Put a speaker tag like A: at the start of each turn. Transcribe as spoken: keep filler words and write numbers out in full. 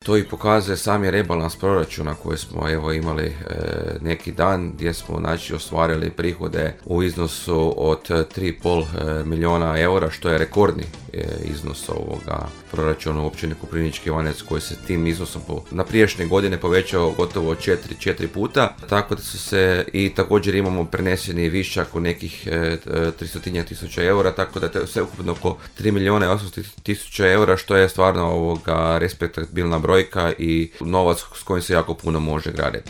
A: To i pokazuje sami rebalans proračuna koji smo evo imali e, neki dan, gdje smo znači ostvarili prihode u iznosu od tri i pol milijuna eura, što je rekordni e, iznos ovoga proračuna u općini Koprivnički Ivanec, koji se tim iznosom po, na prijašnje godine povećao gotovo četiri, četiri puta, tako da su se i također imamo preneseni višak u nekih e, tristotinja tisuća eura, tako da je sve ukupno oko tri milijuna i osamsto tisuća eura, što je stvarno ovoga respektabilna brojka i novac s kojim se jako puno može graditi.